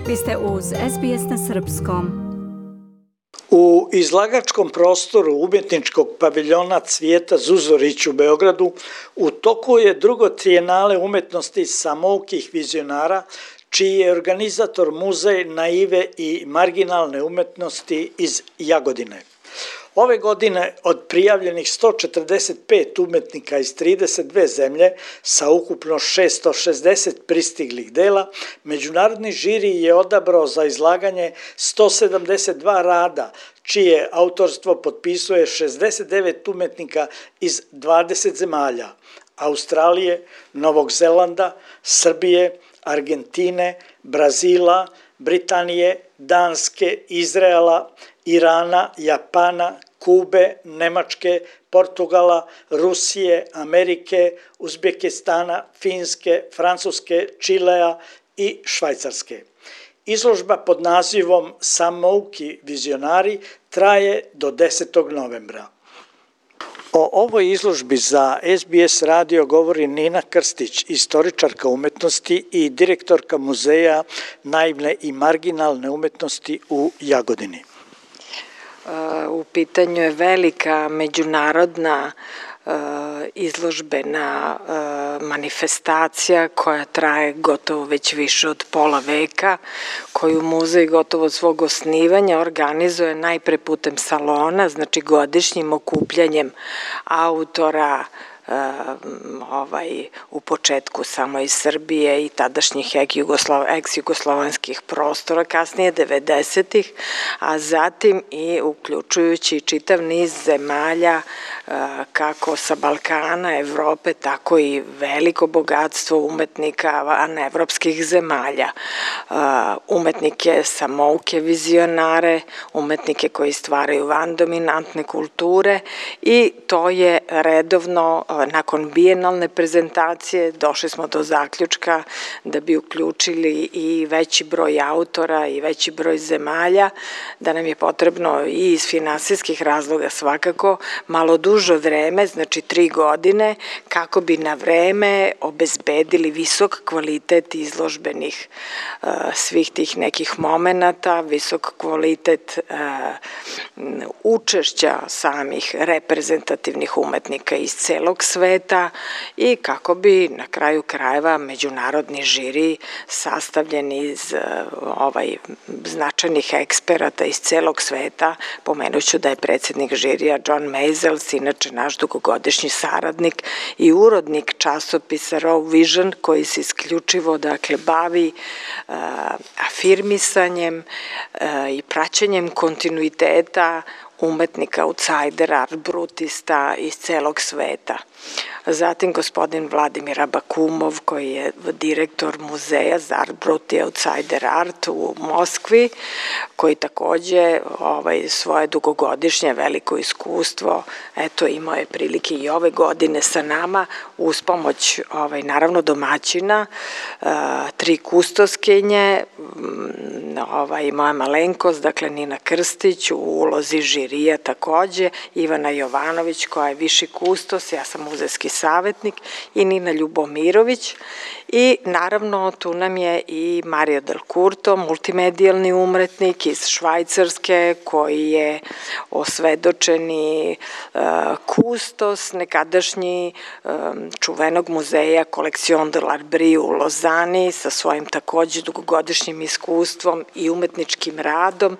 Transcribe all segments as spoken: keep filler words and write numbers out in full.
Vi ste uz S B S na srpskom. U izlagačkom prostoru umjetničkog paviljona Cvijeta Zuzorić u Beogradu u toku je drugo trijenale umetnosti samoukih vizionara, čiji je organizator Muzej naive i marginalne umetnosti iz Jagodine. Ove godine od prijavljenih sto četrdeset pet umetnika iz trideset dve zemlje sa ukupno šesto šezdeset pristiglih dela, međunarodni žiri je odabrao za izlaganje sto sedamdeset dva rada, čije autorstvo potpisuje šezdeset devet umetnika iz dvadeset zemalja: Australije, Novog Zelanda, Srbije, Argentine, Brazila, Britanije, Danske, Izraela, Irana, Japana, Kube, Nemačke, Portugala, Rusije, Amerike, Uzbekistana, Finske, Francuske, Čilea i Švajcarske. Izložba pod nazivom Samouki vizionari traje do desetog novembra. O ovoj izložbi za S B S radio govori Nina Krstić, istoričarka umetnosti i direktorka Muzeja naivne i marginalne umetnosti u Jagodini. U pitanju je velika međunarodna izložbena manifestacija koja traje gotovo već više od pola veka, koju muzej gotovo od svog osnivanja organizuje najpre putem salona, znači godišnjim okupljanjem autora, ovaj, u početku samo iz Srbije i tadašnjih ex-jugoslovenskih prostora, kasnije devedesetih, a zatim i uključujući čitav niz zemalja kako sa Balkana, Evrope, tako i veliko bogatstvo umetnika vanevropskih zemalja. Umetnike samouke vizionare, umetnike koji stvaraju vandominantne kulture, i to je redovno. Nakon bijenalne prezentacije došli smo do zaključka da bi uključili i veći broj autora i veći broj zemalja, da nam je potrebno i iz finansijskih razloga svakako malo duže vreme, znači tri godine, kako bi na vreme obezbedili visok kvalitet izložbenih uh, svih tih nekih momenata, visok kvalitet uh, učešća samih reprezentativnih umetnika iz celog sveta i kako bi na kraju krajeva međunarodni žiri sastavljen iz uh, ovaj značajnih eksperata iz celog sveta. Pomenuću da je predsjednik žirija John Maisels, inače naš dugogodišnji saradnik i urodnik časopisa Raw Vision, koji se isključivo dakle bavi uh, afirmisanjem uh, i praćenjem kontinuiteta umetnika, outsidera, art brutista iz celog sveta. Zatim gospodin Vladimir Abakumov, koji je direktor muzeja za art brut i outsider art u Moskvi, koji takođe ovaj, svoje dugogodišnje veliko iskustvo, eto, imao je prilike i ove godine sa nama, uz pomoć ovaj, naravno domaćina, uh, tri kustoskinje, ovaj, moja malenkost, dakle Nina Krstić, u ulozi žirija takođe, Ivana Jovanović koja je viši kustos, ja sam muzejski savjetnik, i Nina Ljubomirović, i naravno tu nam je i Mario Del Curto, multimedijalni umetnik iz Švajcarske, koji je osvedočeni uh, kustos nekadašnji um, čuvenog muzeja Collection de l'Art Brie u Lozani, sa svojim takođe dugogodišnjim iskustvom i umetničkim radom,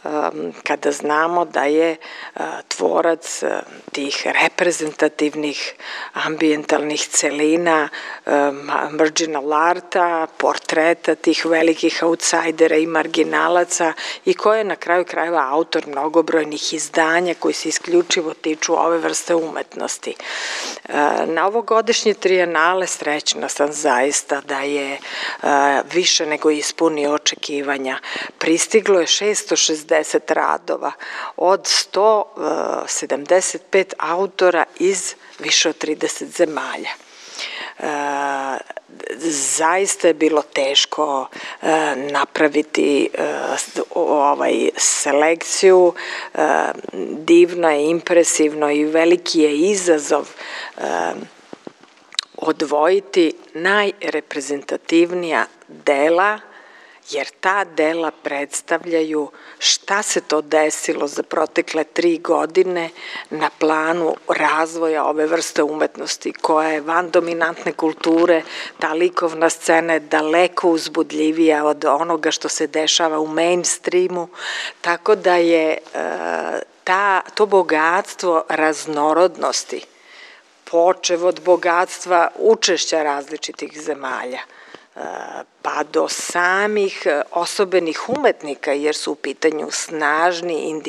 um, kada znamo da je uh, tvorac uh, tih reprezentativnih ambijentalnih celina, um, marginal arta, portreta tih velikih outsidera i marginalaca, i ko je na kraju krajeva autor mnogobrojnih izdanja koji se isključivo tiču ove vrste umetnosti. Na ovogodišnje trijenale srećna sam zaista da je više nego ispunio očekivanja. Pristiglo je šesto šezdeset radova od sto sedamdeset pet autora iz više od trideset zemalja. E, zaista je bilo teško e, napraviti e, ovaj selekciju, e, divno je, impresivno i veliki je izazov e, odvojiti najreprezentativnija dela jer ta dela predstavljaju šta se to desilo za protekle tri godine na planu razvoja ove vrste umetnosti koja je van dominantne kulture, ta likovna scena je daleko uzbudljivija od onoga što se dešava u mainstreamu, tako da je ta, to bogatstvo raznorodnosti, počev od bogatstva učešća različitih zemalja, pa do samih osobenih umetnika, jer su u pitanju snažni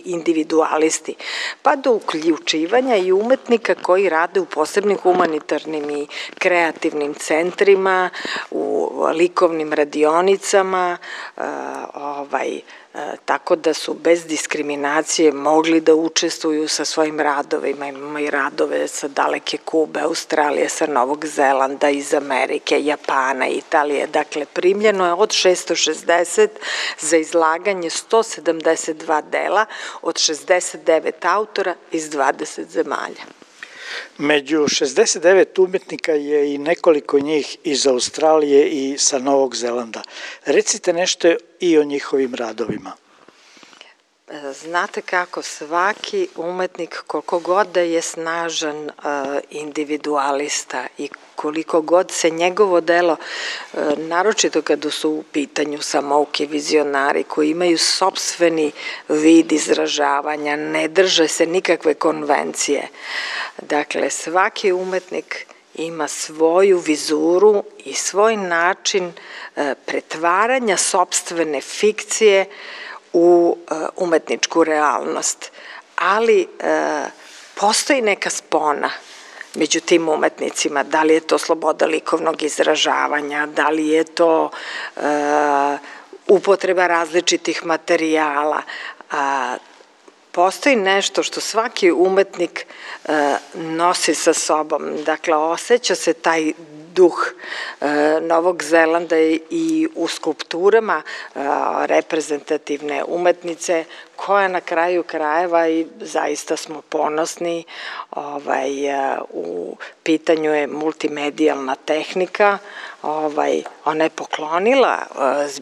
individualisti, pa do uključivanja i umetnika koji rade u posebnim humanitarnim i kreativnim centrima, u likovnim radionicama, ovaj, tako da su bez diskriminacije mogli da učestvuju sa svojim radovima. Imamo i radove sa daleke Kube, Australije, sa Novog Zelanda, iz Amerike, Japana, Italije. Dakle, primljeno je od šesto šezdeset za izlaganje sto sedamdeset dva dela od šezdeset devet autora iz dvadeset zemalja. Među šezdeset devet umetnika je i nekoliko njih iz Australije i sa Novog Zelanda. Recite nešto i o njihovim radovima. Znate kako, svaki umetnik, koliko god da je snažan individualista i koliko god se njegovo delo, naročito kada su u pitanju samouki vizionari koji imaju sopstveni vid izražavanja, ne drže se nikakve konvencije. Dakle, svaki umetnik ima svoju vizuru i svoj način pretvaranja sopstvene fikcije u umetničku realnost. Ali postoji neka spona među tim umetnicima, da li je to sloboda likovnog izražavanja, da li je to upotreba različitih materijala. Postoji nešto što svaki umetnik nosi sa sobom, dakle osjeća se taj duh Novog Zelanda i u skulpturama reprezentativne umetnice koja na kraju krajeva, i zaista smo ponosni, ovaj, u pitanju je multimedijalna tehnika, ovaj, ona je poklonila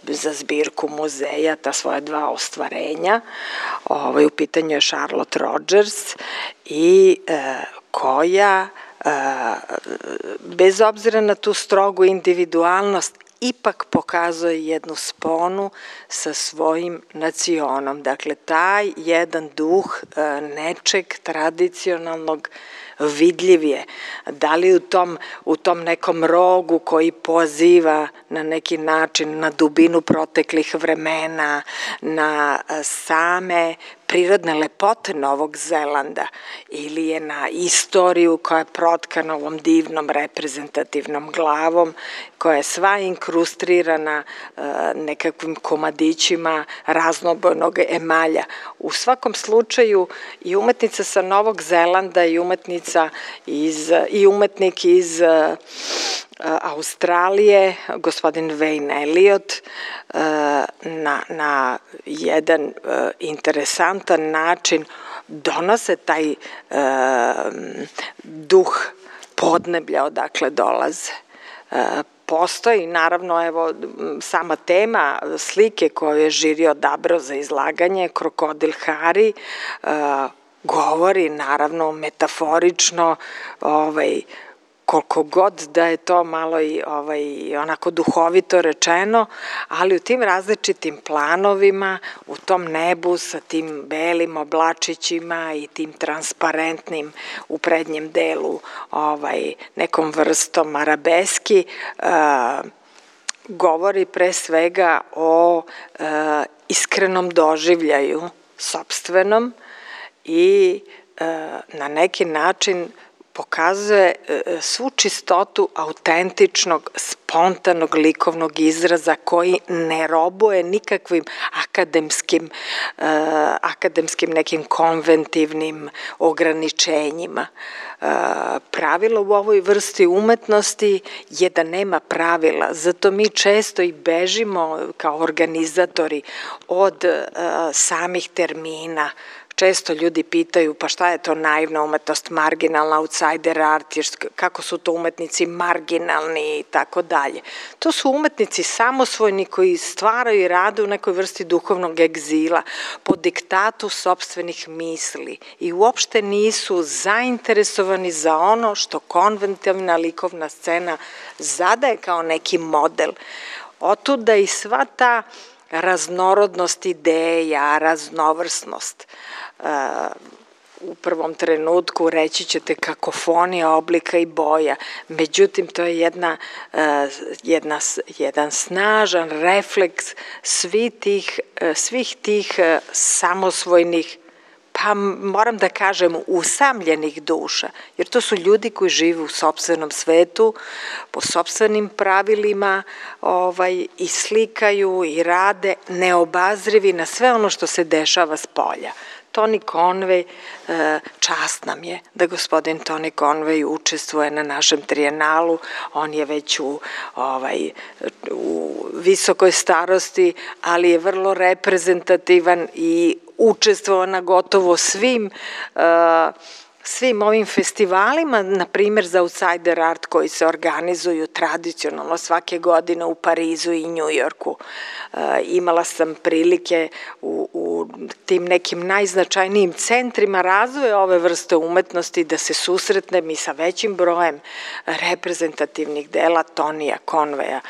za zbirku muzeja ta svoja dva ostvarenja, ovaj, u pitanju je Charlotte Rogers i koja bez obzira na tu strogu individualnost ipak pokazuje jednu sponu sa svojim nacionom. Dakle, taj jedan duh nečeg tradicionalnog vidljiv je. Da li u tom, u tom nekom rogu koji poziva na neki način na dubinu proteklih vremena, na same prirodne lepote Novog Zelanda, ili je na istoriju koja je protkana ovom divnom reprezentativnom glavom, koja je sva inkrustrirana nekakvim komadićima raznobojnog emalja. U svakom slučaju i umetnica sa Novog Zelanda i umetnica iz, i umetnik iz Australije, gospodin Wayne Elliot, na, na jedan interesantan način donose taj duh podneblja odakle dolaze. Postoji, naravno, evo, sama tema slike koju je žiri odabrao za izlaganje, Krokodil Hari, govori, naravno, metaforično, ovaj, koliko god da je to malo i ovaj, onako duhovito rečeno, ali u tim različitim planovima, u tom nebu sa tim belim oblačićima i tim transparentnim u prednjem delu ovaj, nekom vrstom arabeski, uh, govori pre svega o uh, iskrenom doživljaju sopstvenom i uh, na neki način pokazuje svu čistotu autentičnog, spontanog likovnog izraza koji ne robuje nikakvim akademskim, akademskim nekim konventivnim ograničenjima. Pravilo u ovoj vrsti umetnosti je da nema pravila, zato mi često i bežimo kao organizatori od samih termina, često ljudi pitaju pa šta je to naivna umetnost, marginalna, outsider art, kako su to umetnici marginalni i tako dalje. To su umetnici samosvojni koji stvaraju i rade u nekoj vrsti duhovnog egzila, po diktatu sopstvenih misli i uopšte nisu zainteresovani za ono što konventivna likovna scena zadaje kao neki model. Otuda i sva ta raznorodnost ideja, raznovrsnost. U prvom trenutku reći ćete kakofonija oblika i boja, međutim to je jedna, jedna, jedan snažan refleks svih tih, svih tih samosvojnih, pa moram da kažem usamljenih duša, jer to su ljudi koji žive u sopstvenom svetu, po sopstvenim pravilima ovaj, i slikaju i rade neobazrivi na sve ono što se dešava s polja. Tony Conway, čast nam je da gospodin Tony Conway učestvuje na našem trijenalu, on je već u, ovaj, u visokoj starosti, ali je vrlo reprezentativan i učestvovao na gotovo svim svim ovim festivalima, na primjer za outsider art koji se organizuju tradicionalno svake godine u Parizu i Njujorku. Imala sam prilike u, u tim nekim najznačajnijim centrima razvoja ove vrste umetnosti da se susretnem i sa većim brojem reprezentativnih dela Tonija Conwaya.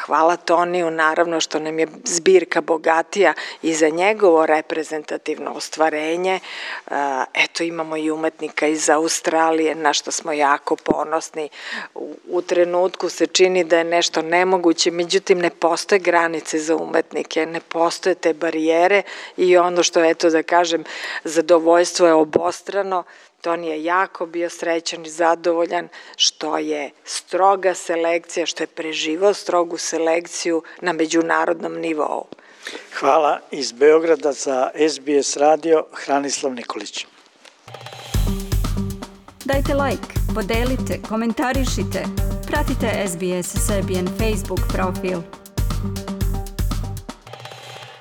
Hvala Toniju, naravno što nam je zbirka bogatija i za njegovo reprezentativno ostvarenje. Eto, imamo i umetnika iz Australije, na što smo jako ponosni. U, u trenutku se čini da je nešto nemoguće, međutim ne postoje granice za umetnike, ne postoje te barijere i ono što, eto da kažem, zadovoljstvo je obostrano. Toni je jako bio srećan i zadovoljan što je stroga selekcija, što je preživao strogu selekciju na međunarodnom nivou. Hvala. Iz Beograda za S B S radio, Hranislav Nikolić. Dajte like, podelite, komentarišite, pratite S B S Serbian Facebook profil.